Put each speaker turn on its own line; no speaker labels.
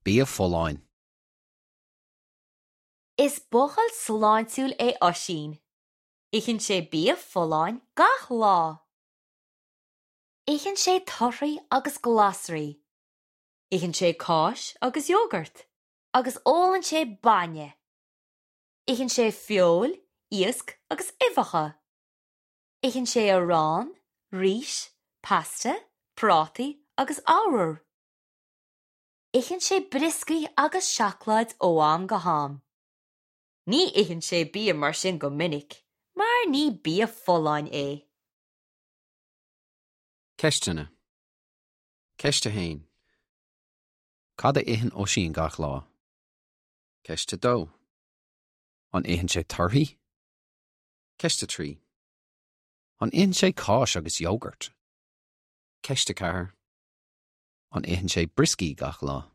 Bia folláin.
Is buachaill sláintiúil é Oisín. Itheann sé bia folláin gach lá. Itheann sé torthaí agus glasraí. Itheann sé cáis agus iógart agus ólann sé bainne. Itheann sé feoil, iasc agus uibheacha. Itheann sé arán, rís, pasta, prátaí agus arbhar. Itheann sé brioscaí agus seacláid ó am go ham. Ní itheann sé bia mar sin go minic, mar ní bia folláin é.
Ceisteanna. Ceist 1. Cad a itheann Oisín gach lá? Ceist 2. An itheann sé torthaí? Ceist 3. An itheann sé cáis agus iógart? Ceist 4. An itheann sé brioscaí gach lá?